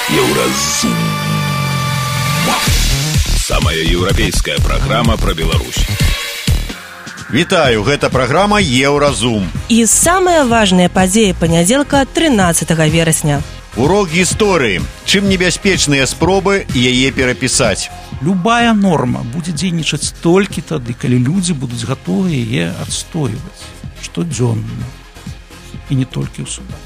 Еўразум. Самая еўрапейская праграма пра Беларусь. Вітаю, гэта праграма Еўразум. І самая важная падзея панядзелка 13 верасня. Урок гісторыі. Чым небяспечныя спробы яе перапісаць. Любая норма будзе дзейнічаць толькі тады, калі людзі будуць гатовы яе адстойваць штодзённа. І не толькі ў судах.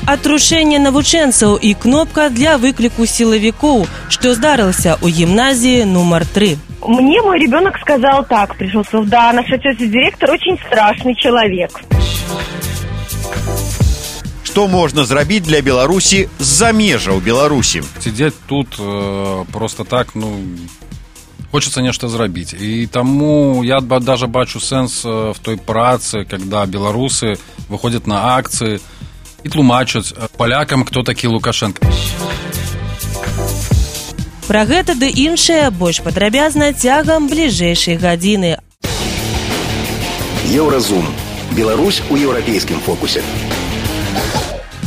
Атрушэнне навучэнцаў і кнопка для выкліку сілавікоў, што здарылася ў гімназіі нумар 3. Мне мой ребенок сказал так, пришел, сказал, да, наш отец-директор очень страшный человек. Што можна зрабіць для Беларусі з-за межаў Беларусі? Сидеть тут просто так, хочется нешта зрабіць. І таму я даже бачу сэнс в той працы, когда беларусы выходят на акции и тлумачаць полякам, кто такі Лукашенко. Пра гэта ды іншае больш падрабязна цягам бліжэйшай гадзіны. Еўразум. Беларусь у еўрапейскім фокусе.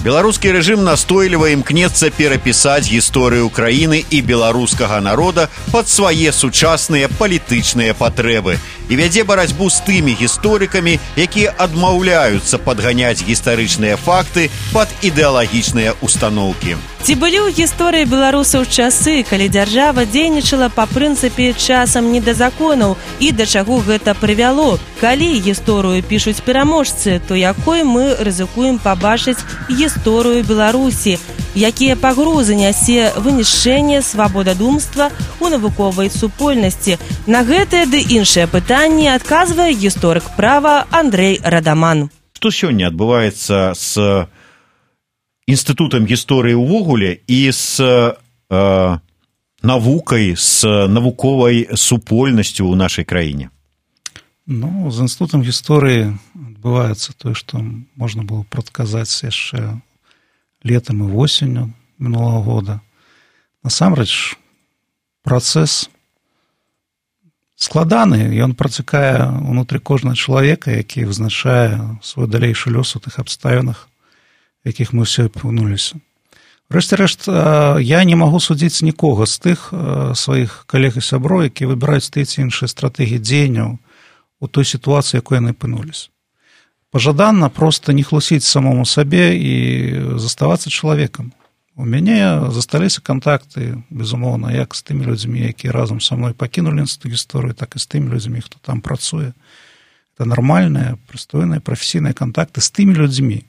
Беларускі рэжым настойліва імкнецца перапісаць гісторыю краіны і беларускага народа пад свае сучасныя палітычныя патрэбы і вядзе барацьбу з тымі гісторыкамі, якія адмаўляюцца падганяць гістарычныя факты пад ідэалагічныя устаноўкі. Ці былі ў гісторыі беларусаў часы, калі дзяржава дзейнічала па прынцыпе часам не да законаў і да чаго гэта прывяло? Калі гісторыю пішуць пераможцы, то якой мы рызыкуем пабачыць гісторыю Беларусі? Якія пагрозы нясе вынішчэнне свабодадумства ў навуковай супольнасці? На гэтае ды іншае пытанне адказвае гісторык права Андрэй Радаман. Што сёння адбываецца з інстытутам гісторыі ўвогуле і з навукай, з навуковай супольнасцю ў нашай краіне? З інстытутам гісторыі адбываецца тое, што можна было прадказаць яшчэ летам і восенню мінулага года. Насамрэч, працэс складаны, ён працякае ўнутры кожнага чалавека, які вызначае свой далейшы лёс у тых абставінах, якіх мы ўсе апынуліся. Рэшце-рэшт, я не магу судзіць нікога з тых сваіх калег і сяброў, якія выбіраюць тыя ці іншыя стратэгіі дзеянняў у той сітуацыі, якой яны апынуліся. Пажаданна проста не хлусіць самому сабе і заставацца чалавекам. У мяне засталіся кантакты, безумоўна, як з тымі людзьмі, якія разам са мной пакінулі інстытут гісторыі, так і з тымі людзьмі, хто там працуе. Гэта нармальныя, прыстойныя, прафесійныя кантакты з тымі людзьмі,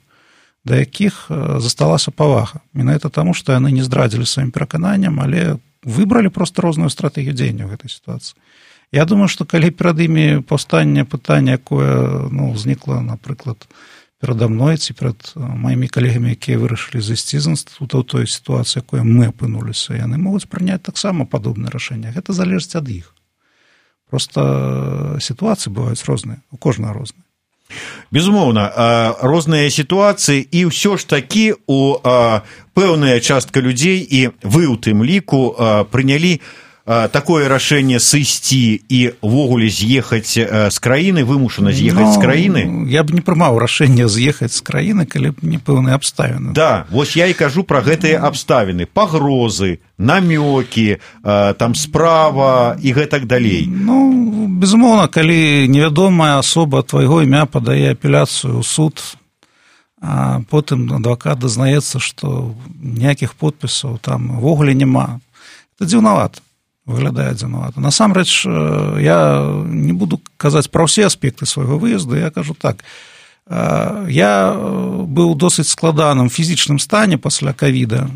да якіх засталася павага. Менавіта таму, што яны не здрадзілі сваім перакананням, але выбралі проста розную стратэгію дзеяння ў гэтай сітуацыі. Я думаю, што калі перад імі паўстане пытанне, якое ўзнікла, напрыклад, перада мной ці перад маімі калегамі, якія вырашылі зайсці з інстытута ў той сітуацыі, якой мы апынуліся, яны могуць прыняць таксама падобнае рашэнне. Гэта залежыць ад іх. Проста сітуацыі бываюць розныя, у кожнага розныя. Безумоўна, розныя сітуацыі і ўсё ж такі у пэўная частка людзей і вы ў тым ліку прынялі такое рашэнне сысці і ўвогуле з'ехаць з краіны, вымушана з'ехаць з краіны? Я б не прымаў рашэнне з'ехаць з краіны, калі б не пэўныя абставіны. Да, вось я і кажу пра гэтыя абставіны, пагрозы, намёкі, там справа і гэтак далей. Безумоўна, калі невядомая асоба твайго імя падае апеляцыю ў суд, а потым адвакат дазнаецца, што ніякіх подпісаў там увогуле няма, это дзіўнавата. Выглядае дзіўнавата. Насамрэч, я не буду казаць пра ўсе аспекты свайго выезду, я кажу так. Я быў у досыць складаным фізічным стане пасля ковіда,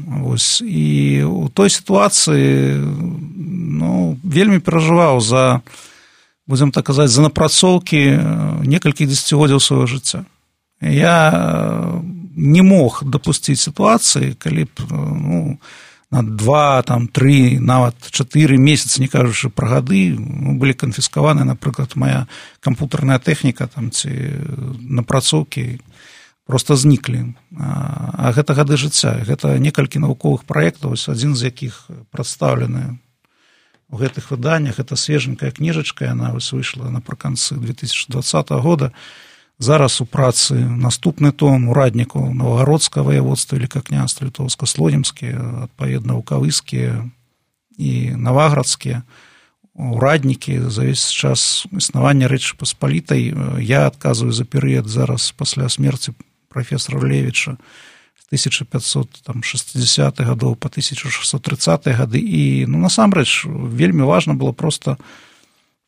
і ў той сітуацыі вельмі перажываў за, будзем так казаць, за напрацоўкі некалькіх дзесяцігоддзяў свайго жыцця. Я не мог дапусціць сітуацыі, калі б на 2, 3, нават 4 месяцы, не кажучы пра гады, былі канфіскаваны, напрыклад, моя кампутарная тэхніка ці напрацоўкі проста зніклі. А гэта гады жыцця, гэта некалькі навуковых праектаў, адзін з якіх прадстаўлены у гэтых выданнях, гэта свеженькая кніжачка, яна выйшла напрыканцы 2020 года, Зараз у працы наступны том ураднікаў Новагородскага воеводства, Великокняства Літоўска-Слонімскія, адпаведна Вукавыскія і Наваградскія ураднікі за весь час існавання Рэчы Паспалітай. Я адказваю за перыяд зараз пасля смерці прафесара Левіча з 1560-х гадоў па 1630-е гады. І, насамрэч, вельмі важна было проста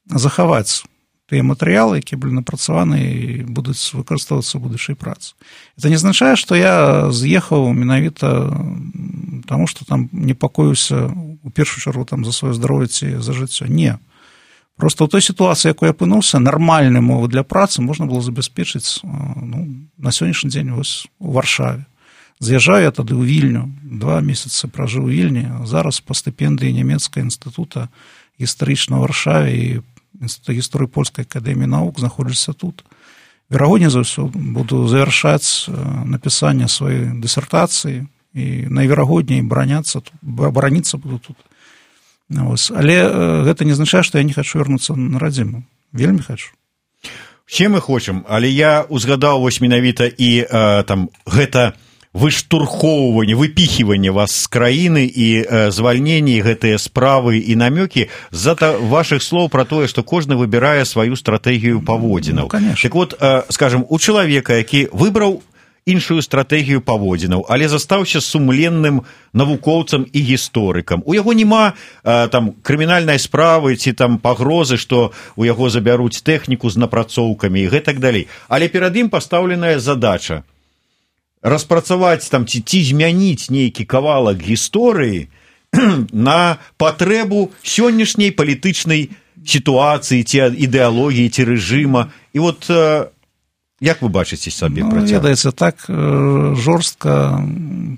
захаваць тыя матэрыялы, якія былі напрацаваны і будуць выкарыстоўвацца ў будучай працы. Это не азначае, што я з'ехаў менавіта таму, што там непакоюся у першую чаргу там за сваё здароўе ці за жыццё. Не. Проста ў той сітуацыі, якой я апынуўся, нармальныя умовы для працы можна было забяспечыць на сённяшні дзень вось у Варшаве. З'язджаю я тады ў Вільню, 2 месяцы пражыў у Вільні, зараз па стыпендыі нямецкага інстытута гістарычнага Варшаве і Інстытут гісторыі Польскай акадэміі навук знаходжуся тут. Верагодней за ўсё буду завяршаць напісанне сваёй дысертацыі і найверагодней бараніцца буду тут. Але гэта не азначае, што я не хачу вярнуцца на радзіму. Вельмі хачу. Все мы хочам, але я узгадаў вось менавіта і гэта выштурхоўванне, выпіхіванне вас з краіны і звальненне гэтыя справы і намёкі з-за вашых слоў пра тое, што кожны выбірае сваю стратэгію паводзінаў. Так вот, скажем, у чалавека, які выбраў іншую стратэгію паводзінаў, але застаўся сумленным навукоўцам і гісторыкам. У яго няма крымінальнай справы ці пагрозы, што у яго забяруць тэхніку з напрацоўкамі і гэтак далей. Але перад ім пастаўленая задача распрацаваць ці змяніць нейкі кавалак гісторыі на патрэбу сённяшняй палітычнай сітуацыі ці ідэалогіі ці рэжыма. І вот як вы бачыце сабе працяг? Ведаеце, так жорстка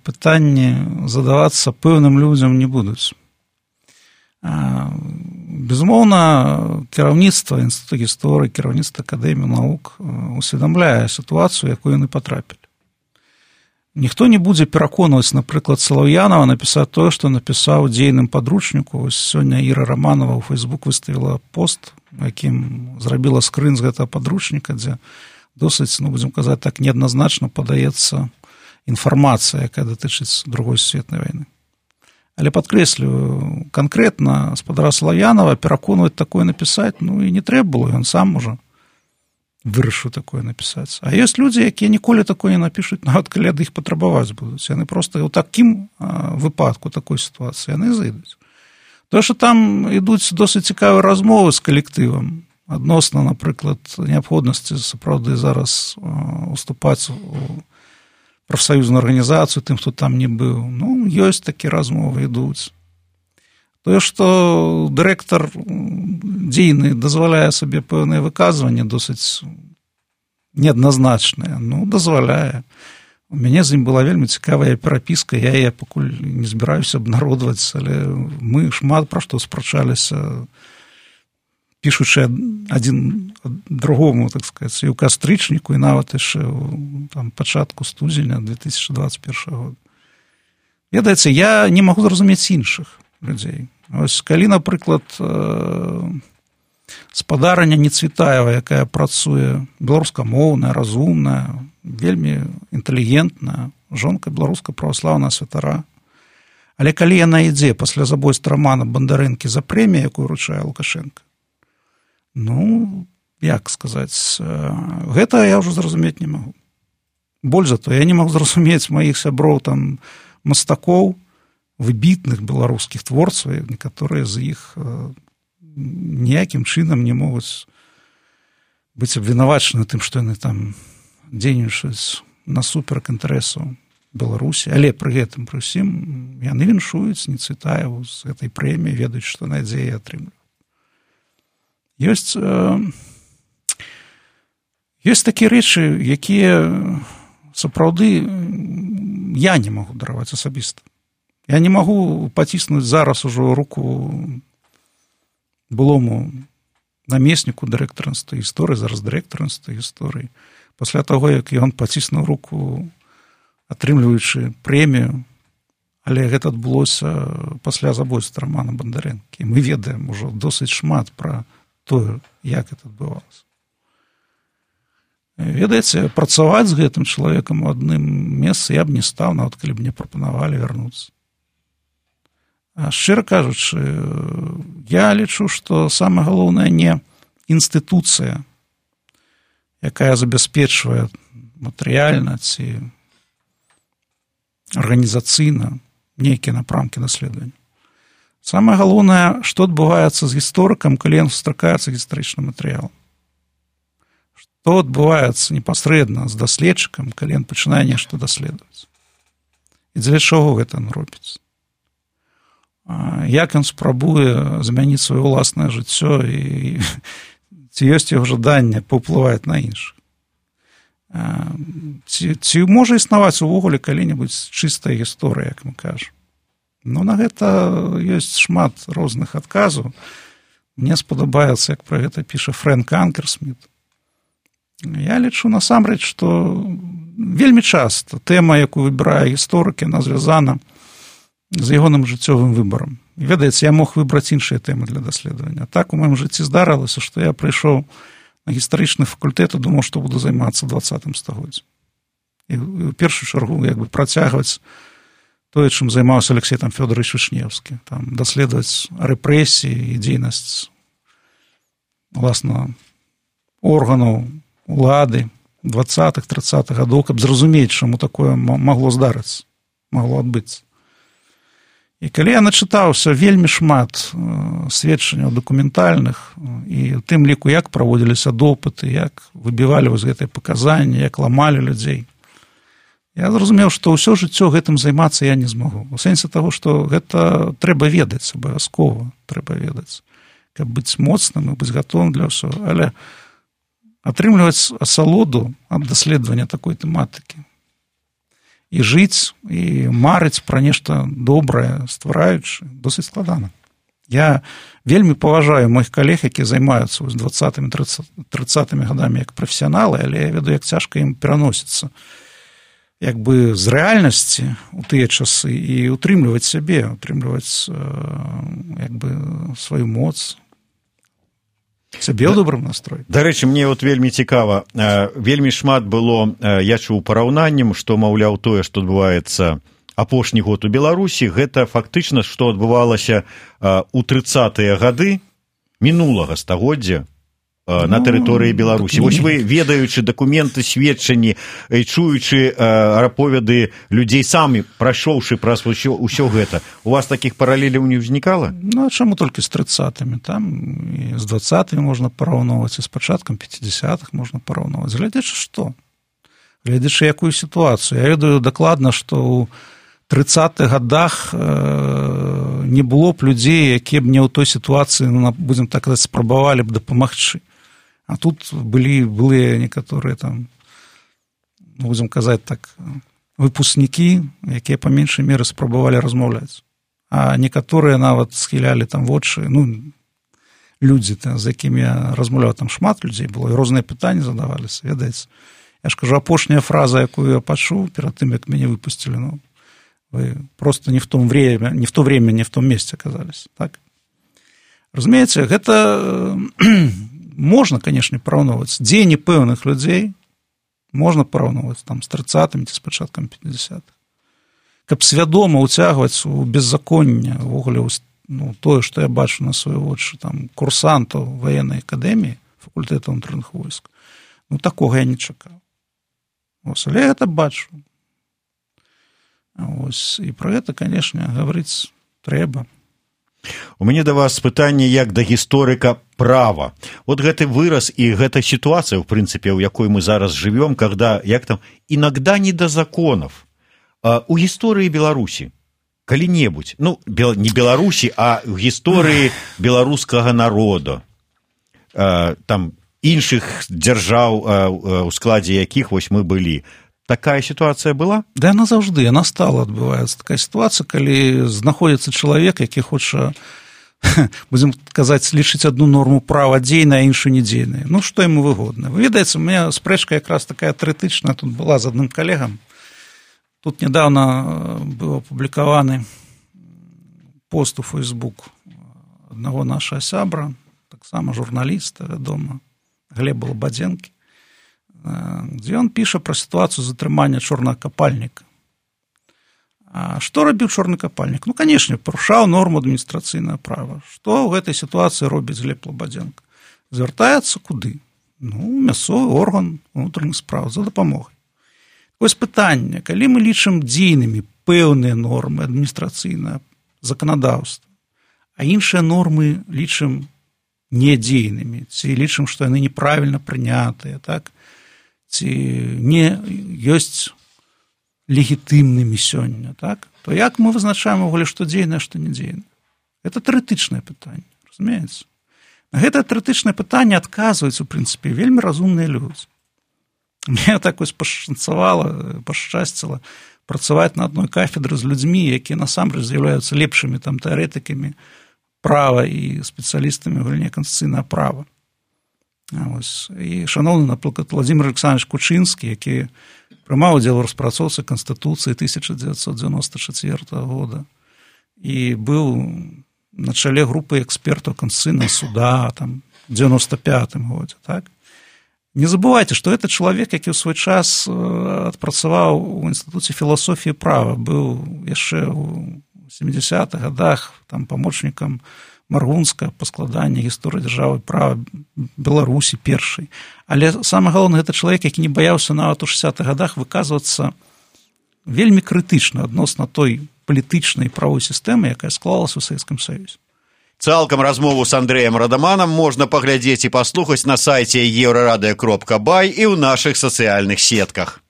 пытанні задавацца пэўным людзям не будуць. Безумоўна, кіраўніцтва Інстытуту гісторыі, кіраўніцтва Акадэміі навук усведамляе сітуацыю, якую яны патрапілі. Ніхто не будзе пераконваць, напрыклад, Салаўянова напісаць тое, што напісаў дзейным падручніку. Сёння Іра Раманова ў Фейсбук выставіла пост, якім зрабіла скрын з гэтага падручніка, дзе досыць, будзем казаць так, неадназначна падаецца інфармацыя, якая датычыць Другой сусветнай вайны. Але падкрэслю, канкрэтна спадара Салаўянова пераконваць такое напісаць, і не трэба было, ён сам ужо вырашыў такое напісаць. А ёсць людзі, якія ніколі такое не напішуць, нават калі ад іх патрабаваць будуць. Яны проста ў такім выпадку, такой сітуацыі, яны зайдуць. Тое, што там ідуць досыць цікавыя размовы з калектывам, адносна, напрыклад, неабходнасці сапраўды зараз уступаць у прафсаюзную арганізацыю тым, хто там не быў. Ёсць такія размовы, ідуць. Тое, што дырэктар дзейны дазваляе сабе пэўныя выказванні досыць неадназначныя, дазваляе. У мяне з ім была вельмі цікавая перапіска, я яе пакуль не збіраюся абнародваць, але мы шмат пра што спрачаліся, пішучы адзін другому, так сказаць, і ў кастрычніку, і нават яшчэ ў пачатку студзеня 2021 года. Ведаеце, я не магу зразумець іншых людзей. Ось, калі, напрыклад, спадарыня Нецвітаева, якая працуе беларускамоўная, разумная, вельмі інтэлігентная, жонка беларуска праваслаўная святара, але калі яна ідзе пасля забойства Рамана Бандарэнкі за прэмію, якую вручае Лукашенко, як сказаць, гэта я ўжо зразумець не магу. Больш за то, я не магу зразумець маіх сяброў мастакоў, выбітных беларускіх творцаў, некаторыя з іх ніякім чынам не могуць быць абвінавачаны тым, што яны там дзейнічаюць насуперак інтарэсаў Беларусі, але пры гэтым, пры ўсім, яны віншуюць Нецвітаеву з гэтай прэміі, ведаюць, што надзеі атрымліваюць. Ёсць такія рэчы, якія сапраўды я не магу дараваць асабіста. Я не магу паціснуць зараз ужо руку былому намесніку дырэктара Інстытута гісторыі, зараз дырэктара Інстытута гісторыі, пасля таго, як ён паціснуў руку, атрымліваючы прэмію, але гэта адбылося пасля забойства Рамана Бандарэнкі. Мы ведаем ужо досыць шмат пра тое, як гэта адбывалася. Ведаеце, працаваць з гэтым чалавекам у адным месцы я б не стаў, нават калі б мне прапанавалі вярнуцца. А шчыра кажучы, я лічу, што самае галоўнае не інстытуцыя, якая забяспечвае матэрыяльна ці арганізацыйна нейкія напрамкі даследавання. Самае галоўнае, што адбываецца з гісторыкам, калі ён сустракаецца гістарычным матэрыялам. Што адбываецца непасрэдна з даследчыкам, калі ён пачынае нешта даследаваць. І дзеля чаго гэта ён робіць? Як ён спрабуе замяніць сваё ўласнае жыццё і ці ёсць яго жаданне паўплываць на іншых? Ці можа існаваць увогуле калі-небудзь чыстая гісторыя, як мы кажам? Ну, на гэта ёсць шмат розных адказаў. Мне спадабаецца, як пра гэта піша Фрэнк Анкерсміт. Я лічу насамрэч, што вельмі часта тэма, якую выбірае гісторык, яна звязана з ягоным жыццёвым выбарам. І ведаеце, я мог выбраць іншыя тэмы для даследавання. Так у маім жыцці здарылася, што я прыйшоў на гістарычны факультэт і думаў, што буду займацца 20 стагоддзям. І ў першую чаргу працягваць тое, чым займаўся Алексей Фёдорович Вішнеўскі, даследаваць рэпрэсіі і дзейнасць уласна органаў улады 20-30-х гадоў, каб зразумець, чаму такое магло здарыцца, магло адбыцца. І калі я начытаўся вельмі шмат сведчанняў дакументальных, і ў тым ліку, як праводзіліся допыты, як выбівалі вось гэтыя паказанні, як ламалі людзей, я зразумеў, што ўсё жыццё гэтым займацца я не змагу. У сэнсе таго, што гэта трэба ведаць, абавязкова трэба ведаць, каб быць моцным і быць гатовым для ўсё, але атрымліваць асалоду ад даследавання такой тэматыкі і жыць, і марыць пра нешта добрае, ствараючы, досыць складана. Я вельмі паважаю моих калег, якія займаюцца 20-30-ми гадамі як прафесіяналы, але я ведаю, як цяжка ім пераносіцца як бы з рэальнасці ў тыя часы і утрымліваць сябе, утрымліваць як бы сваю моц, сябе ў добрым настрой. Дарэчы, мне вот вельмі цікава, вельмі шмат было, я чуў параўнаннем, што, маўляў, тое, што адбываецца апошні год у Беларусі, гэта фактычна, што адбывалася ў 30-е гады мінулага стагоддзя на тэрыторыі Беларусі. Вось вы, ведаючы дакументы, сведчанні, чуючы аповеды людзей самі, прайшоўшы праз усё гэта, у вас такіх паралеляў не ўзнікала? Ну, а чаму толькі з 30-ми? Там і з 20-ми можна параўноўваць, і з пачаткам 50-х можна параўноўваць. Глядзячы што? Глядзячы якую сітуацыю? Я ведаю дакладна, што ў 30-х гадах не было б людзей, якія б не ў той сітуацыі, будзем так казаць, спрабавалі б дапамагчы. А тут былыя некаторыя там, будзем казаць так, выпускнікі, якія па меншай меры спрабавалі размаўляць. А некаторыя нават схілялі там вочы, ну, людзі, з якімі я размаўляў, там шмат людзей было, і розныя пытанні задаваліся, ведаеце. Я ж кажу, апошняя фраза, якую я пачуў перад тым, як мяне выпусцілі, ну, вы просто не в то время, не в том месте оказались. Так? Разумеется, гэта можна, конечно, параўноўваць. Дзеянні пэўных людзей можна параўноўваць там з 30-ми ці з пачаткам 50-х. Каб свядома ўцягваць у беззаконне, увогуле, ну, тое, што я бачу на свае вочы, там, курсантаў ваеннай акадэміі, факультэта ўнутраных войск, ну, такога я не чакаў. Ось, але я гэта бачу. Ось, і пра гэта, канешне, гаварыць трэба. У мяне да вас пытанне як да гісторыка права. Вот гэты выраз і гэта сітуацыя, в прынцыпе, у якой мы зараз жывём, когда, як там, иногда не до законов. У гісторыі Беларусі калі-небудзь, ну, не Беларусі, а в гісторыі беларускага народа, там, іншых дзяржаў, у складзе якіх вось мы былі, такая сітуацыя была? Да, яна заўжды, яна стала адбываецца. Такая сітуацыя, калі знаходзіцца чалавек, які хоча, будзем казаць, лічыць адну норму права дзейнай, а іншую недзейнай. Ну, што яму выгодна. Вы ведаеце, у мяне спрэчка якраз такая тэарэтычная тут была з адным калегам. Тут нядаўна быў апублікаваны пост у Facebook аднаго нашага сябра, таксама журналіста, вядома, Глеба Лабадзенкі, дзе ён піша пра сітуацыю затрымання чорнага капальніка. А што рабіў чорны капальнік? Ну, канешне, парушаў норму адміністрацыйнага права. Што ў гэтай сітуацыі робіць Глеб Лабадзенко? Звяртаецца куды? Ну, мясцовы орган унутраных спраў за дапамогай. Вось пытанне, калі мы лічым дзейнымі пэўныя нормы адміністрацыйнага заканадаўства, а іншыя нормы лічым недзейнымі, ці лічым, што яны неправільна прынятыя, так? Ці не ёсць легітымнымі сёння, так? То як мы вызначаем увогуле, што дзейнае, што не дзейнае? Гэта тэарэтычнае пытанне, разумееце? На гэта тэарэтычнае пытанне адказваюць, у прынцыпе, вельмі разумныя людзі. Мне так вось пашчасціла працаваць на адной кафедры з людзьмі, якія насамрэч з'яўляюцца лепшымі там тэарэтыкамі права і спецыялістамі ў галіне канстытуцыйнага права. І шаноўны, напрыклад, Владзімир Александрович Кучынскі, які прымаў удзел у распрацоўцы Канстытуцыі 1994 года і быў на чале групы экспертаў Конституцыйнага суда там, в 95-м годзе. Так? Не забывайце, што гэта чалавек, які ў свой час адпрацаваў у Інстытуце філасофіі права, быў яшчэ ў 70-х годах там, памочнікам Маргунска па складанні гісторыі дзяржавы права Беларусі першай. Але самае галоўнае, гэта чалавек, які не баяўся нават у 60-х годах выказвацца вельмі крытычна адносна той палітычнай правой сістэмы, якая склалася ў Савецкім Саюзе. Цалкам размову з Андрэем Радаманам можна паглядзець і паслухаць на сайце euradio.by і ў нашых сацыяльных сетках.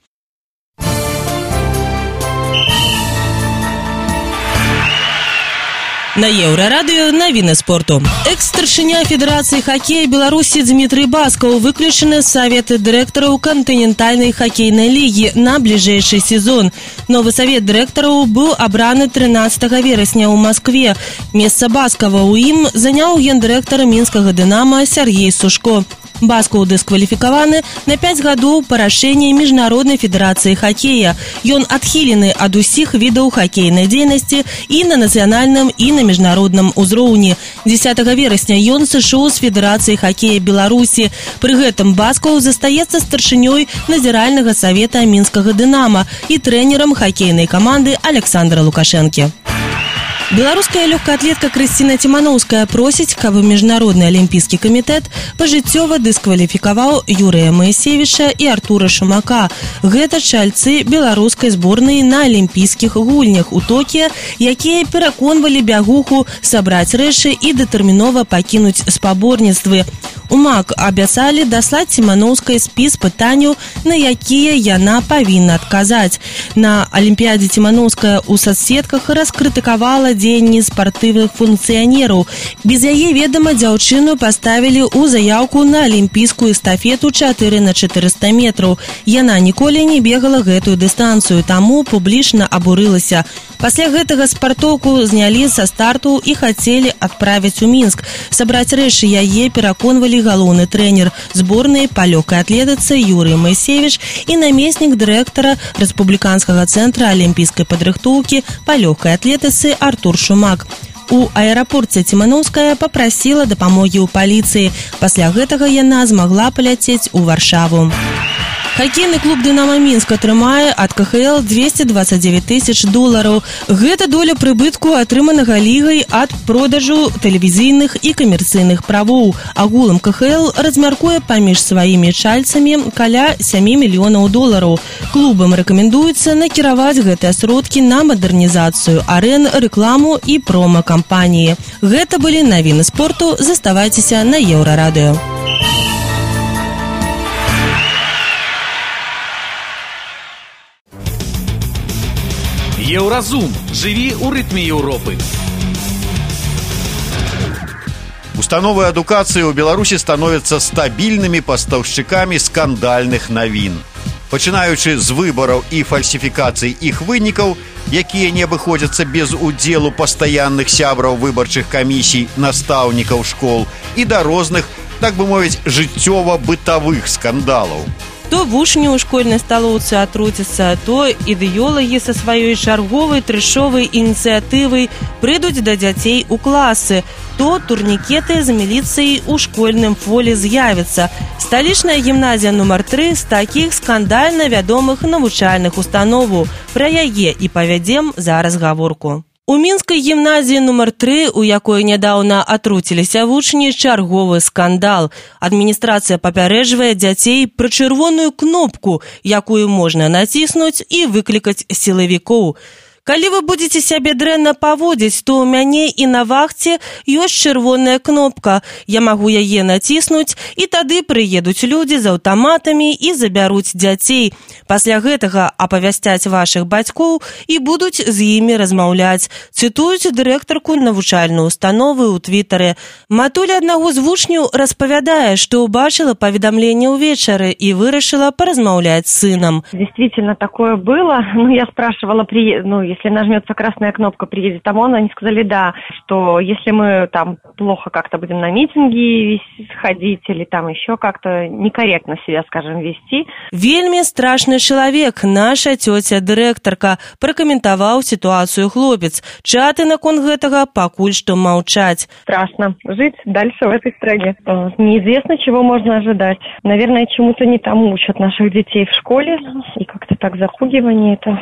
На Еўрарадыё навіны спорту. Экс-старшыня Федэрацыі хакея Беларусі Дмітрый Баскаў выключаны з савета дырэктараў кантынентальнай хакейнай лігі на бліжэйшы сезон. Новы савет дырэктараў быў абраны 13 верасня ў Маскве. Месца Баскава ў ім заняў гендырэктар мінскага «Дынама» Сергей Сушко. Баскаў дыскваліфікаваны на 5 гадоў па рашэнні Міжнароднай федэрацыі хакея. Ён адхілены ад усіх відаў хакейнай дзейнасці і на нацыянальным, і на міжнародным узроўні. 10 верасня ён сышоў з Федэрацыі хакея Беларусі. Пры гэтым Баскаў застаецца старшынёй назіральнага савета мінскага «Дынама» і трэнерам хакейнай каманды Александра Лукашэнкі. Беларуская лёгкаатлетка Крысціна Ціманоўская просіць, каб Міжнародны алімпійскі камітэт пажыццёва дыскваліфікаваў Юрыя Маісевіча і Артура Шумака. Гэта чальцы беларускай зборнай на алімпійскіх гульнях у Токіа, якія пераконвалі бягуху сабраць рэчы і датэрмінова пакінуць спаборніцтвы. У МАК абяцалі даслаць Ціманоўскай спіс пытанняў, на якія яна павінна адказаць. На алімпіядзе Ціманоўская ў соцсетках раскрытыкавала дзеянні спартыўных функцыянераў. Без яе ведама дзяўчыну паставілі ў заяўку на алімпійскую эстафету 4x400 метраў. Яна ніколі не бегала гэтую дыстанцыю, таму публічна абурылася. Пасля гэтага спартоўку знялі са старту і хацелі адправіць у Мінск. Сабраць рэчы яе пераконвалі галоўны трэнер зборнай па лёгкай атлетыцы Юрый Маісевіч і намеснік дырэктара Рэспубліканскага цэнтра алімпійскай падрыхтоўкі па лёгкай атлетыцы Артур Шумак. У аэрапорце Ціманоўская папрасіла дапамогі ў паліцыі. Пасля гэтага яна змагла паляцець у Варшаву. Хакейны клуб «Дынама» Мінск атрымае ад КХЛ $229 тысяч. Гэта доля прыбытку, атрыманага лігай ад продажу тэлевізійных і камерцыйных правоў. Агулам КХЛ размяркуе паміж сваімі чальцамі каля $7 мільёнаў. Клубам рэкамендуецца накіраваць гэтыя сродкі на мадэрнізацыю арэн, рэкламу і прома-кампаніі. Гэта былі навіны спорту. Заставайцеся на Еўрарадыё. Еўразум. Жыві ў рытме Еўропы. Установы адукацыі ў Беларусі становяцца стабільнымі пастаўшчыкамі скандальных навін. Пачынаючы з выбараў і фальсіфікацый іх вынікаў, якія не абыходзяцца без удзелу пастаянных сябраў выбарчых камісій, настаўнікаў школ і да розных, так бы мовіць, жыццёва-бытавых скандалаў. То вучні ў школьнай сталоўцы атруцяцца, то ідэолагі са сваёй чарговай трэшовай ініцыятывай прыйдуць да дзяцей у класы. то турнікеты з міліцыяй у школьным фоле з'явяцца. Сталічная гімназія нумар 3 з такіх скандальна вядомых навучальных установаў. Пра яе і павядзем зараз гаворку. У мінскай гімназіі нумар 3, у якой нядаўна атруціліся вучні, чарговы скандал. Адміністрацыя папярэджвае дзяцей пра чырвоную кнопку, якую можна націснуць і выклікаць сілавікоў. Калі вы будзеце сябе дрэнна паводзіць, то ў мяне і на вахце ёсць чырвоная кнопка. Я магу яе націснуць, і тады прыедуць людзі з аўтаматамі і забяруць дзяцей. Пасля гэтага апавясцяць вашых бацькоў і будуць з імі размаўляць. Цытуюць дырэктарку навучальнай установы ў твітары. Матуля аднаго з вучняў распавядае, што ўбачыла паведамленне ўвечары і вырашыла паразмаўляць з сынам. Действительно, такое было. Я спрашивала, если нажмется красная кнопка, приедет ОМОН, они сказали, да, что если мы там плохо как-то будем на митинги ходить или там еще как-то некорректно себя, скажем, вести. Вельмі страшны чалавек, наша цёця дырэктарка, пракаментаваў сітуацыю хлопец. Чаты наконт гэтага пакуль што маўчаць. Страшно жить дальше в этой стране. Неизвестно, чего можно ожидать. Наверное, чему-то не тому учат наших детей в школе. И как-то так запугивание это.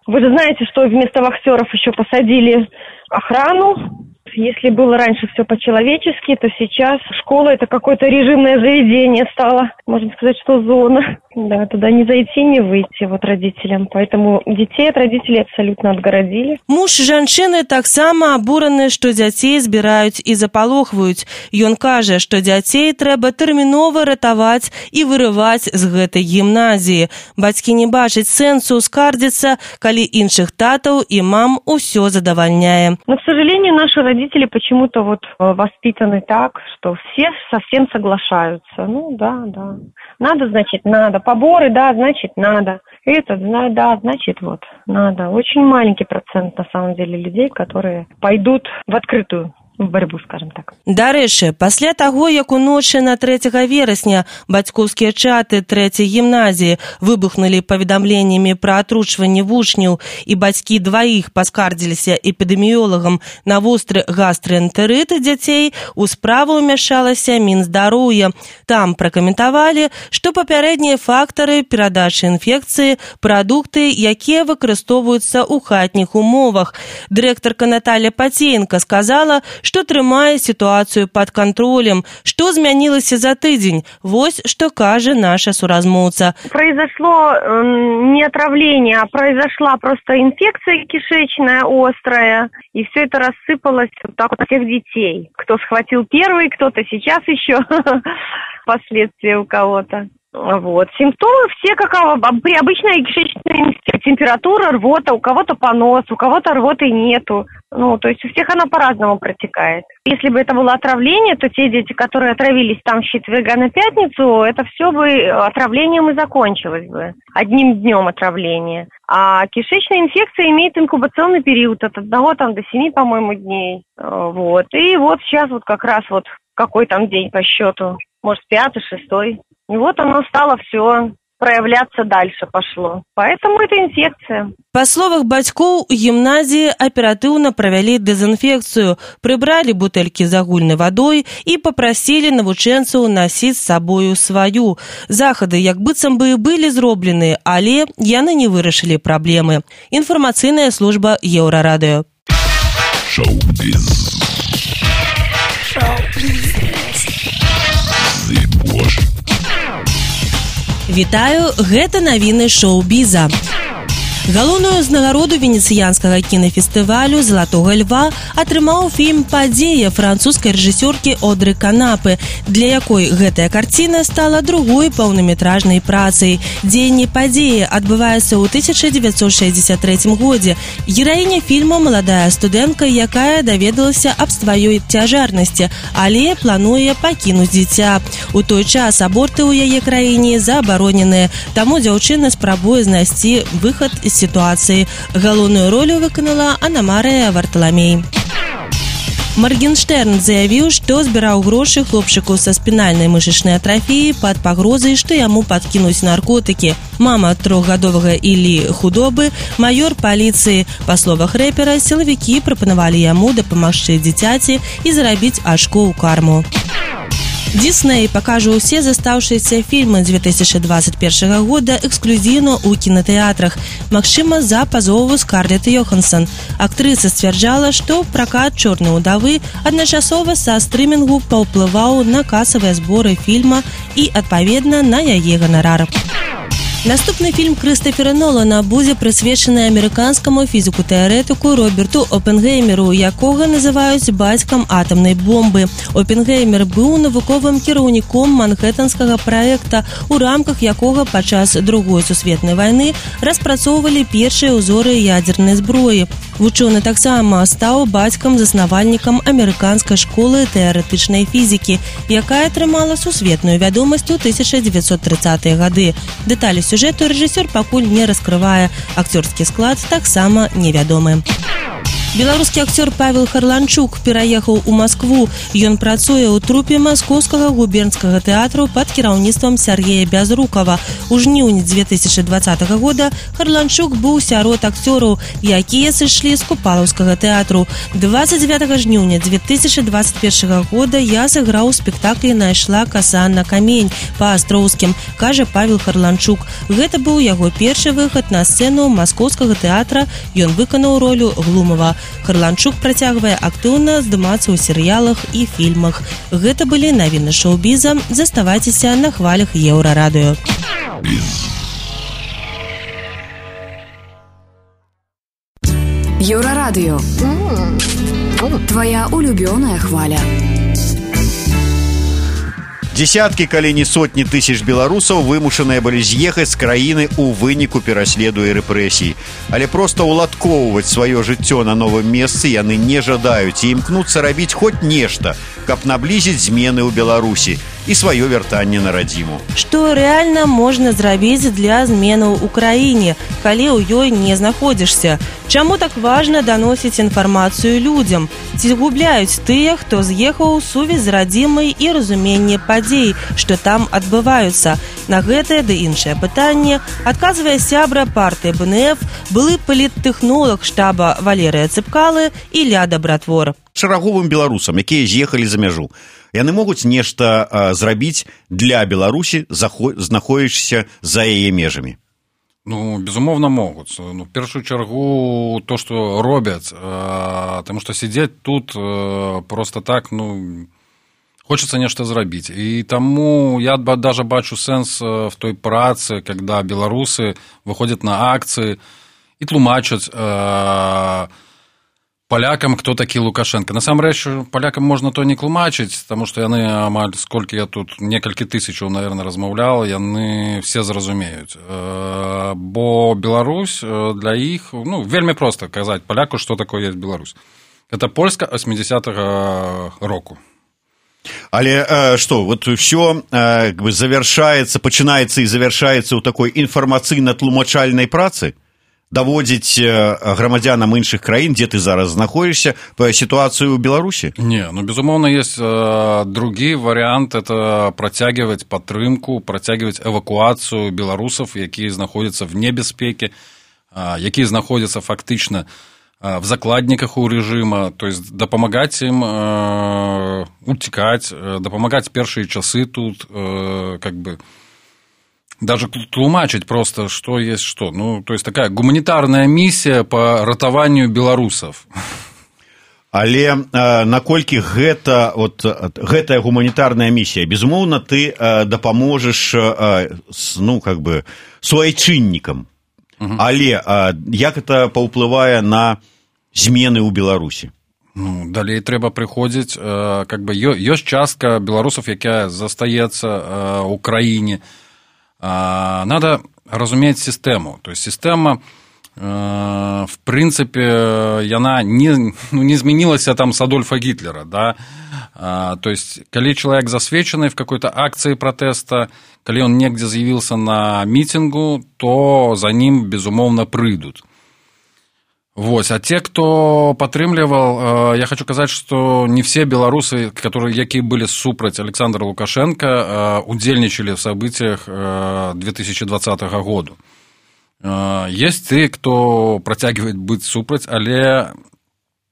Вы же знаете, что вместо вахтеров еще посадили охрану. Если было раньше все по-человечески, то сейчас школа – это какое-то режимное заведение стало. Можно сказать, что зона. Да, туда не зайти, не выйти родителям. Поэтому детей от родителей абсолютно отгородили. Муж жанчыны таксама абураны, што дзяцей збіраюць і запалохваюць. Ён кажа, што дзяцей трэба тэрмінова ратаваць і вырываць з гэтай гімназіі. Бацькі не бачаць сэнсу скардзіцца, калі іншых татаў і мам усё задавальняе. Но, к сожалению, наши родители почему-то воспитаны так, что все совсем соглашаются. Да. Надо, значит, надо. Поборы, да, значит, надо. Это, да, значит, надо. Очень маленький процент, на самом деле, людей, которые пойдут в открытую борьбу, скажем так. Дарэчы, пасля таго, як уночы на 3 верасня бацькоўскія чаты 3-й гімназіі выбухнулі паведамленнямі пра атручванне вучняў і бацькі дваіх паскардзіліся эпідэміёлагам на востры гастраэнтэрыт дзяцей, у справу ўмяшалася Мінздароўя. Там пракаментавалі, што папярэднія фактары перадачы інфекцыі, прадукты, якія выкарыстоўваюцца ў хатніх умовах. Дырэктарка Наталья Пацеенко сказала, што трымае сітуацыю пад кантролем. Што змянілася за тыдзень? Вось што кажа наша суразмоўца. Произошло не отравление, а произошла просто инфекция кишечная острая, и все это рассыпалось так у всех детей. Кто схватил первый, кто-то сейчас еще последствия у кого-то. Симптомы все как при обычной кишечной инфекции. Температура, рвота, у кого-то понос, у кого-то рвоты нету. То есть у всех она по-разному протекает. Если бы это было отравление, то те дети, которые отравились там с четверга на пятницу, это все бы отравлением и закончилось бы. Одним днем отравления. А кишечная инфекция имеет инкубационный период от 1 до 7, по-моему, дней. И сейчас как раз какой там день по счету? Может, 5-й, 6-й. И оно стало все проявляться дальше пошло. Поэтому это инфекция. Па словах бацькоў, у гімназіі аператыўна правялі дэзінфекцыю, прыбралі бутэлькі з агульнай вадой і папрасілі навучэнцаў насіць з сабою сваю. Захады як быццам бы былі зроблены, але яны не вырашылі праблемы. Інфармацыйная служба Еўрарадыё. Шоу-біз. Вітаю, гэта навіны шоу-біза. Галоўную ўзнагароду венецыянскага кінафестывалю «Залатога льва» атрымаў фільм «Падзея» французскай рэжысёркі Одры Канапы, для якой гэтая карціна стала другой паўнаметражнай працай. Дзеянне «Падзеі» адбываецца ў 1963 годзе. Гераіня фільма – маладая студэнтка, якая даведалася аб сваёй цяжарнасці, але плануе пакінуць дзіця. У той час аборты ў яе краіне забароненыя, таму дзяўчына спрабуе знайсці выхад з ситуации. Галоўную ролю выканала Анна Марыя Варталамей. Маргенштерн заявіў, што збіраў грошы хлопчыку са спінальнай мышачнай атрафіяй пад пагрозай, што яму падкінуць наркотыкі. Мама трохгадовага Іллі Худобы, маёр паліцыі. Па словах рэпера, сілавікі прапанавалі яму дапамагчы дзіцяці і зарабіць ачко ў карму. Дисней пакажа ўсе застаўшыеся фільмы 2021 года эксклюзіўна ў кінатэатрах, магчыма, за пазову Скарлетт Йоханссон. Актрыса сцвярджала, што пракат «Чорнай удавы» адначасова са стрымінгу паўплываў на касавыя зборы фільма і, адпаведна, на яе ганарар. Наступны фільм Крыстафера Нолана будзе прысвечаны амерыканскаму фізіку-тэарэтыку Роберту Опенгеймеру, якога называюць бацькам атамнай бомбы. Опенгеймер быў навуковым кіраўніком манхэттанскага праекта, у рамках якога падчас Другой сусветнай вайны распрацоўвалі першыя ўзоры ядзернай зброі. Вучоны таксама стаў бацькам-заснавальнікам амерыканскай школы тэарэтычнай фізікі, якая атрымала сусветную вядомасць у 1930-е гады. Дэталі сюжэту рэжысёр пакуль не раскрывае, акцёрскі склад таксама невядомы. Беларускі акцёр Павел Харланчук пераехаў у Маскву. Ён працуе ў трупе маскоўскага губернскага тэатру пад кіраўніцтвам Сергея Бязрукава. У жніўні 2020 года Харланчук быў сярод акцёраў, якія сышлі з Купалаўскага тэатру. 29 жніўня 2021 года я сыграў у спектаклі «Найшла каса на камень» па-астроўскім, кажа Павел Харланчук. Гэта быў яго першы выхад на сцэну маскоўскага тэатра. Ён выканаў ролю Глумава. Харланчук працягвае актыўна здымацца ў серыялах і фільмах. Гэта былі навіны шоу-біза. Заставайцеся на хвалях Еўрарадыё. Еўрарадыё. Твоя улюбёная хваля. Десяткі, калі не сотні тысяч беларусаў вымушаныя былі з'ехаць з краіны ў выніку пераследу і рэпрэсій. Але проста ўладкоўваць сваё жыццё на новым месцы яны не жадаюць і імкнуцца рабіць хоць нешта, каб наблізіць змены ў Беларусі і сваё вяртанне на радзіму. Што рэальна можна зрабіць для зменаў у краіне, калі ў ёй не знаходзішся? Чаму так важна даносіць інфармацыю людзям? Ці губляюць тыя, хто з'ехаў, сувязь з радзімай і разуменне падзей, што там адбываюцца? На гэтае ды іншае пытанне адказвае сябра партыі БНФ, былы паліттэхнолаг штаба Валерыя Цыпкалы і Ілля Дабратвор. Шараговым беларусам, якія з'ехалі за мяжу, яны могуць нешта зрабіць для Беларусі, знаходзячыся за яе межамі? Ну, безумоўна, могуць. Ну, в першую чаргу то, што робяць, таму што сядзець тут просто так, ну, хочется нешта зрабіць. І таму я даже бачу сэнс в той працы, когда беларусы выходят на акцыі і тлумачаць палякам, хто такі Лукашенко. Насамрэч, палякам можна то не тлумачыць, таму што яны амаль, сколькі я тут, некалькі тысячаў, наверное, размаўлял, яны все зразумеюць. Бо Беларусь для іх, ну, вельмі проста казаць паляку, што такое есть Беларусь. Это Польска 80-го року. Але што, вот ўсё завяршаецца, пачынаецца і завяршаецца ў такой інфармацыйна-тлумачальнай працы? Даводзіць грамадзянам іншых краін, дзе ты зараз знаходзішся, па сітуацыю ў Беларусі? Не, ну, безумоўна, есть другі варыянт, это працягваць падтрымку, працягваць эвакуацыю беларусаў, якія знаходзяцца в небяспеке, якія знаходзяцца фактычна в закладніках у рэжыма, то есть дапамагаць ім уцікаць, дапамагаць першыя часы тут, как бы, даже тлумачить просто, что есть что. Ну, то есть такая гуманитарная миссия по ратаванню беларусаў. Але наколькі гэтая гуманітарная місія, безумоўна, ты дапаможаш, ну, как бы, суайчыннікам. Але як это паўплывае на змены ў Беларусі? Ну, далей трэба прыходзіць, как бы, ёсць частка беларусаў, якая застаецца ў краіне. Надо разуметь систему. То есть система, в принципе, яна не змянілася там с Адольфа Гитлера, да? То есть, калі человек засвечаны в какой-то акции протеста, калі он негде з'явился на митингу, то за ним, безумоўно, прыйдут. Вот. А те, кто падтрымліваў, я хочу сказать, что не все белорусы, якія былі супраць Александра Лукашенко, удзельнічалі в событиях 2020 года. Есть те, кто протягивает быть супраць, але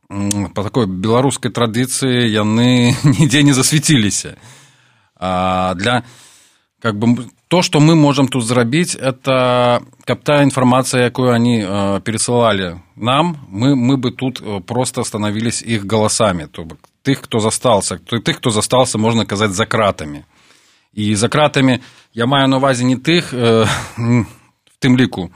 по такой беларускай традыцыі яны нідзе не засвяціліся. Для как бы то, что мы можем тут зрабіць, это каб та информация, якую они пересылали нам, мы бы тут просто становились их голосами. То бок тех, кто застался, можно сказать, за кратами. И за кратами я маю на увазе не тых, в тым ліку,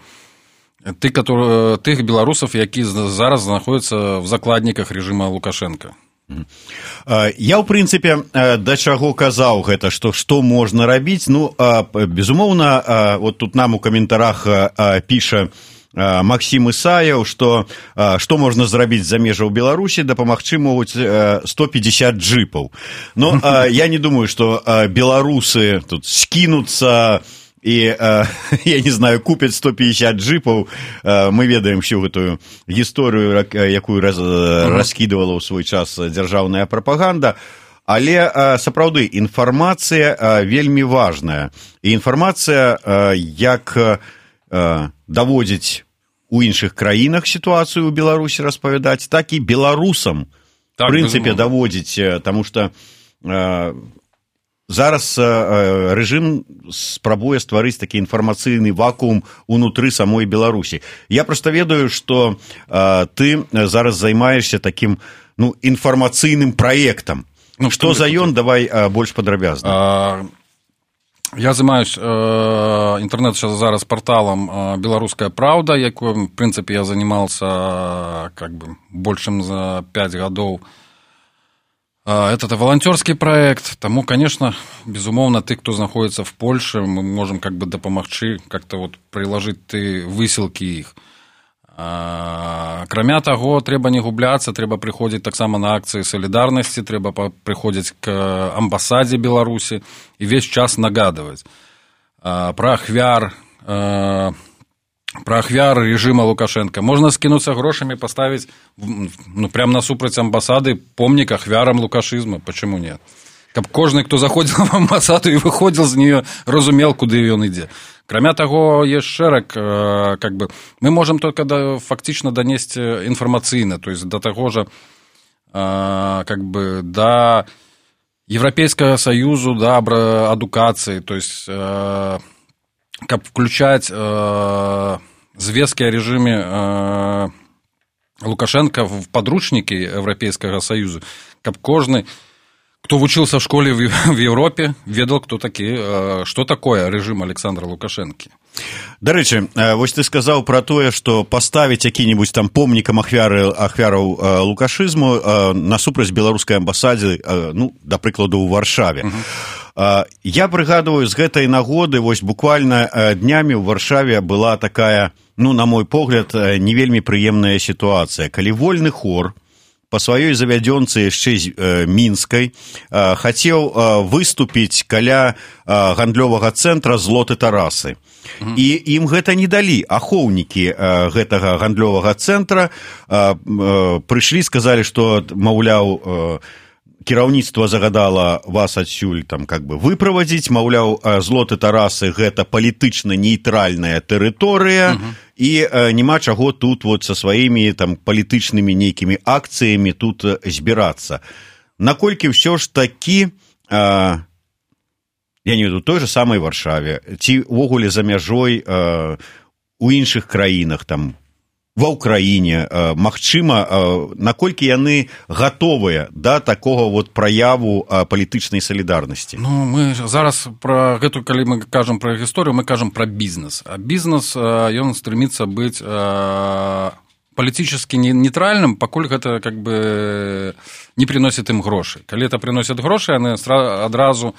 тых беларусаў, які зараз знаходзяцца в закладніках режима Лукашенко. Я, ў прынцыпе, да чаго казаў гэта, што можна рабіць. Ну, безумоўна, вот тут нам у каментарах піша Максим Исаев, што можна зрабіць за межаў Беларусі, дапамагчы могуць 150 джипаў. Но я не думаю, што беларусы тут скінуцца і, я не знаю, купяць 150 джипаў. Мы ведаем всю гэтую гісторыю, якую раскідывала ў свой час дзяржаўная прапаганда. Але, сапраўды, інфармацыя вельмі важная. І інфармацыя, як даводзіць у іншых краінах сітуацыю ў Беларусі распавядаць, так і беларусам, в прынцыпе, даводзіць, таму што зараз рэжым спрабуе стварыць такі інфармацыйны вакуум унутры самой Беларусі. Я проста ведаю, што ты зараз займаешся такім інфармацыйным праектам. Што за ён? Давай больш падрабязна. Я займаюсь интернет зараз порталом «Белорусская правда», якой, в принципе, я занимался как бы большим за 5 годов. Это волонтерский проект, тому, конечно, безумоўна, ты, кто находится в Польше, мы можем как бы дапамагчы, как-то вот приложить ты высылки их. Акрамя таго, трэба не губляцца, трэба прыходзіць таксама на акцыі салідарнасці, трэба прыходзіць к амбасадзе Беларусі і весь час нагадваць пра ахвяр режима Лукашенко. Можно скинуться грошами, поставить прямо насупраць амбасады помнік ахвярам лукашизма. Почему нет? Каб кожны, кто заходил в амбасаду и выходил з нее, разумел, куды ён ідзе. Кроме того, есть шераг, как бы, мы можем только фактично донести информационно, то есть до того же, как бы, до Европейского Союза, до адукации, то есть, как включать звестки о режиме Лукашенко в подручники Европейского Союза, как кожный, кто учился в школе в Европе, ведал, кто такие, что такое режим Александра Лукашенко. Да рэчы, вось ты сказаў пра тое, што паставіць які-небудзь там помнікам ахвяраў лукашызму насупраць беларускай амбасадзе, да прыкладу, ў Варшаве. Я прыгадываю, з гэтай нагоды, вось буквально днямі ў Варшаве была такая, на мой погляд, не вельмі прыемная сітуацыя, калі вольны хор по сваёй завядзёнцы яшчэ з мінскай хацеў выступіць каля гандлёвага цэнтра «Злоты Тарасы». І ім гэта не далі. Ахоўнікі гэтага гандлёвага цэнтра прыйшлі, сказалі, што, маўляў, кіраўніцтва загадала вас адсюль там как бы выправадзіць, маўляў, «Злоты Тарасы» гэта палітычна нейтральная тэрыторыя, і няма чаго тут вот са сваімі там палітычнымі нейкімі акцыямі тут збірацца. Наколькі ўсё ж такі, я не ведаю, той же самай Варшаве, ці ўвогуле за мяжой у іншых краінах, там, ва ўкраіне, магчыма, наколькі яны гатовыя да такога вот праяву палітычнай салідарнасці? Мы зараз пра гэту, калі мы кажам пра гісторыю, мы кажам пра бізнес. А бізнес, ён стремится быць палітычна нейтральным, пакуль гэта как бы не приносит ім грошы. Калі это приносит грошы, яны адразу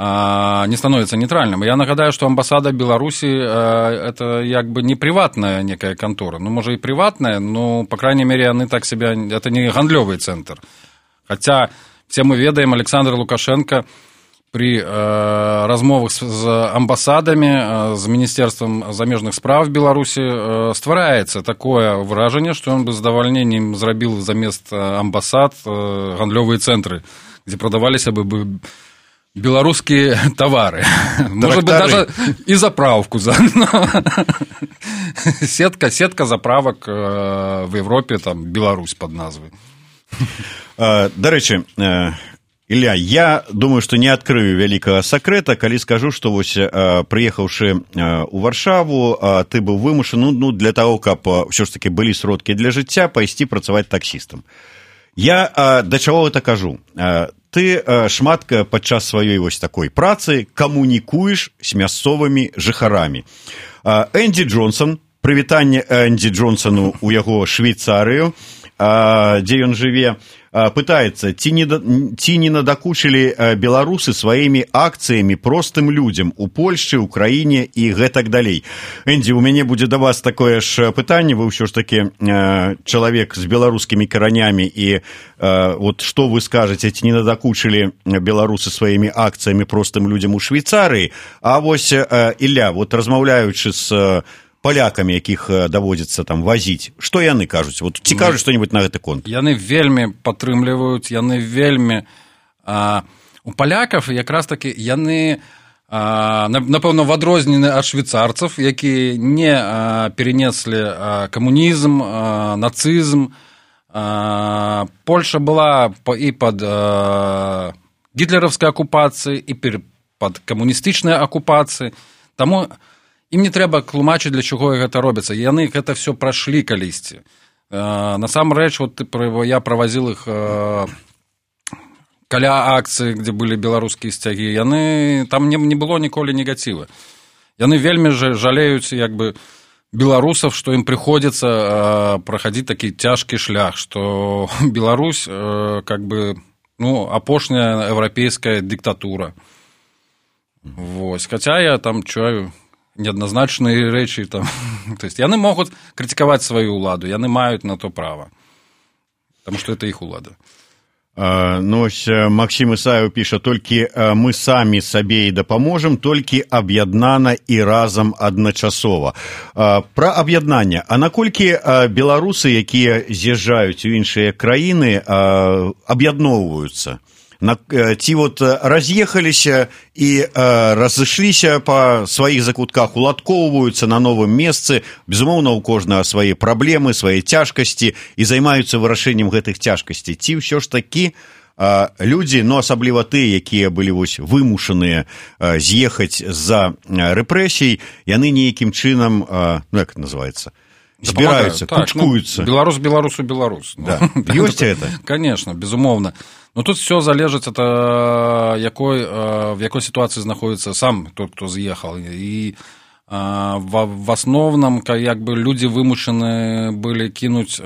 не становится нейтральным. Я нагадаю, что амбассада Беларуси это как бы не приватная некая контора. Может и приватная, но, по крайней мере, они так себя... Это не гандлёвый центр. Хотя все мы ведаем, Александр Лукашенко при размовах з амбасадамі, з Міністерствам замежных спраў Беларусі ствараецца такое выражанне, што ён бы з задавальненнем зрабіў замест амбасад гандлёвыя цэнтры, дзе прадаваліся бы беларускія тавары. Может быть, даже і заправку заодно. Сетка заправак в Европе, там, Беларусь под назвай. До рэчы, Ілля, я думаю, што не адкрыю вялікага сакрэта, калі скажу, што вось прыехаўшы ў Варшаву, ты быў вымушаны, для таго, каб ўсё ж такі былі сродкі для жыцця, пайсці працаваць таксістам. Я да чаго гэта кажу? Ты шмат падчас сваёй вось такой працы камунікуеш з мясцовымі жыхарамі. Энді Джонсон, прывітанне Энді Джонсону ў яго Швейцарыю, дзе ён жыве, пытаецца, ці не надакучылі беларусы сваімі акцыямі простым людзям у Польшчы, ў краіне і гэтак далей. Энді, у мяне будзе да вас такое ж пытанне, вы ўсё ж такі чалавек з беларускімі каранямі, і вот што вы скажаце, ці не надакучылі беларусы сваімі акцыямі простым людзям у Швейцарыі? А вось, Ілля, вот размаўляючы з палякамі, якіх даводзіцца там вазіць, што яны кажуць? Вот ці кажуць што-небудзь на гэты конт? Яны вельмі падтрымліваюць, яны вельмі... У палякаў якраз такі яны, напэўна, в адрозненні ад швейцарцаў, якія не перенеслі камунізм, нацызм. Польша была і пад гітлераўскай акупацыяй, і пад камуністычнай акупацыяй. Таму ім не трэба тлумачыць, для чаго гэта робіцца. Яны гэта все прайшлі калісьці. Насамрэч, вот я правазіл іх каля акцыі, дзе былі беларускія сцягі. Там не было ніколі негативу. Яны вельмі жалеюць як бы беларусаў, што ім прыходзіцца прахадзіць такі цяжкі шлях, што Беларусь как бы апошняя еўрапейская дыктатура. Вось. Хаця я там чую неадназначныя рэчы там. То есть яны могуць крытыкаваць сваю ўладу, яны маюць на то права, таму што это іх улада. Максім Ісаеў піша, толькі мы самі сабе і дапаможам, толькі аб'яднана і разам адначасова. Пра аб'яднанне. А наколькі беларусы, якія з'язджаюць у іншыя краіны, аб'ядноўваюцца? Ці вот раз'ехаліся і разышліся па сваіх закутках, уладкоўваюцца на новым месцы, безумоўна, у кожнага свае праблемы, свае цяжкасці і займаюцца вырашэннем гэтых цяжкасцей. Ці ўсё ж такі людзі, асабліва тыя, якія былі вымушаныя з'ехаць з-за рэпрэсій, яны нейкім чынам, як это называецца, збіраюцца, кучкуюцца. Беларус беларусу беларус. Да. Ёсць это? Конечно, безумоўна. Но тут все залежит от в якой ситуации знаходится сам тот, кто съехал. И в основном как бы люди вымушены были кинуть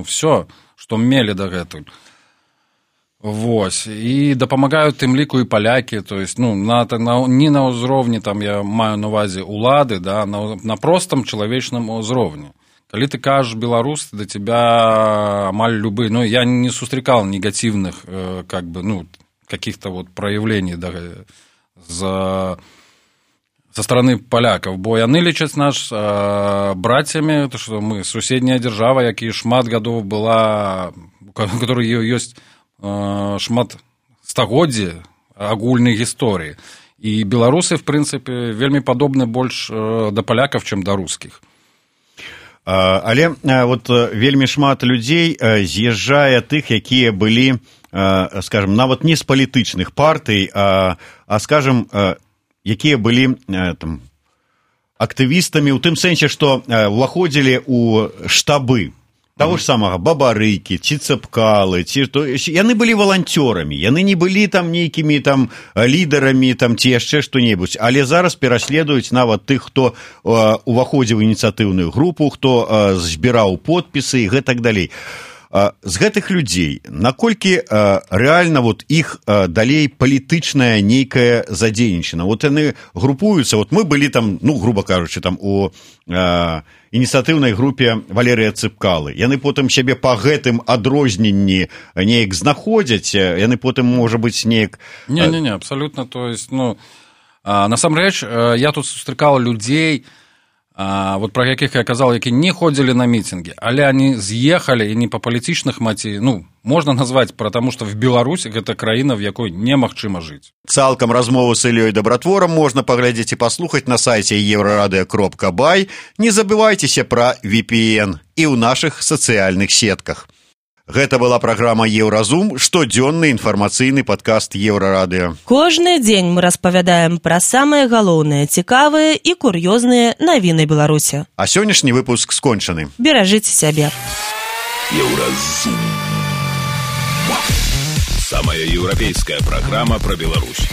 все, что мели до гэтуль. Вось. И дапамагаюць тым ліку і палякі, то есть не на ўзроўні, там я маю на увазе улады, да, на простом чалавечным узроўні. Калі ты кажаш беларус, да тебя амаль любы, я не сустракал негативных как бы, каких-то вот проявлений со стороны поляков, бо яны лічаць наш братьями, что мы суседняя держава, якія шмат гадоў была, у которой ёсць шмат стагоддзі агульнай гісторыі. І беларусы, в прынцыпе, вельмі падобны больш да палякаў, чым да рускіх. Але вот вельмі шмат людзей з'язджае тых, якія былі, скажем, нават не з палітычных партый, а скажем, якія былі там актывістамі ў тым сэнсе, што ўваходзілі ў штабы того ж самага Бабарыкі, ці Цэпкалы, яны былі валанцёрамі, яны не былі там нейкімі там лідарамі там ці яшчэ што-небудзь, але зараз пераследуюць нават тых, хто уваходзіў у ініцыятыўную групу, хто збіраў подпісы і гэтак далей. з гэтых людзей наколькі рэальна вот іх далей палітычная нейкая задзейнічана? Вот яны групуюцца, вот мы былі там, ну, грубо кажучы, там у ініцыятыўнай групе Валерыя Цыпкалы. Яны потым сябе па гэтым адрозненні неяк знаходзяць, яны потым, можа быць, неяк... Не, абсолютно, то есть, ну, насамрэч, я тут сустракал людзей, вот про якіх я казал, які не ходзілі на мітинги, але они з'ехалі і не па палітычных матывах, ну, можна назваць, потому что в Беларусі гэта краіна, в якой немагчыма жыць. Цалкам размову з Іллёй Дабратворам можна паглядзець і паслухаць на сайце еврорадыо.бай. Не забывайцеся пра VPN і ў нашых сацыяльных сетках. Гэта была праграма «Еўразум», штодзённы інфармацыйны падкаст Еўрарадыё. Кожны дзень мы распавядаем пра самыя галоўныя, цікавыя і кур'ёзныя навіны Беларусі. А сённяшні выпуск скончаны. Беражыце сябе. Еўразум. Самая еўрапейская праграма пра Беларусь.